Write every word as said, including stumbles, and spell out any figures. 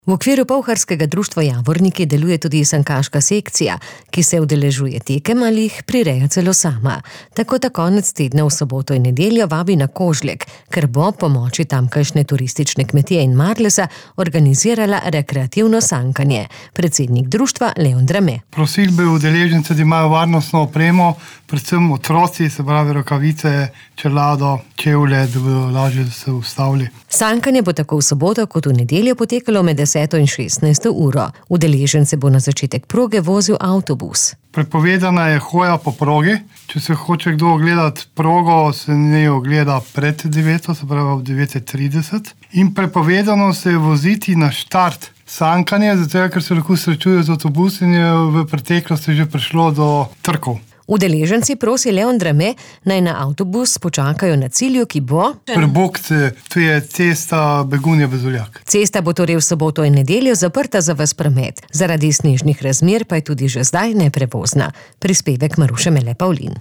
V okviru Polharskega društva Javorniki deluje tudi sankaška sekcija, ki se udeležuje tekem ali jih prireja celo sama. Tako ta konec tedna v soboto in nedeljo vabi na Kožlek, ker bo pomoči tamkajšnje turistične kmetije in Marlesa organizirala rekreativno sankanje. Predsednik društva Leon Drame. Prosili bi udeležence, da imajo varnostno opremo, predvsem otroci, se pravi rokavice, čelado, čevlje, da bodo lažje se ustavili. Sankanje bo tako v soboto kot v nedeljo potekalo med deseto in šestnajsto uro. Udeležence bo na začetek proge vozil avtobus. Prepovedana je hoja po progi. Če se hoče kdo ogledati progo, se ne ogleda pred deveto, se pravi ob devet trideset. In prepovedano se je voziti na štart sankanje, zato ker se lahko srečujejo z avtobusi in je v preteklosti že prišlo do trkov. Udeleženci prosi Leon Drame, naj na avtobus počakajo na cilju, ki bo Prebokce, to je cesta Begunje-Bezoljak. Cesta bo torej v soboto in nedeljo zaprta za ves promet. Zaradi snežnih razmer pa je tudi že zdaj neprevozna. Prispevek Maruše Mele Pavlin.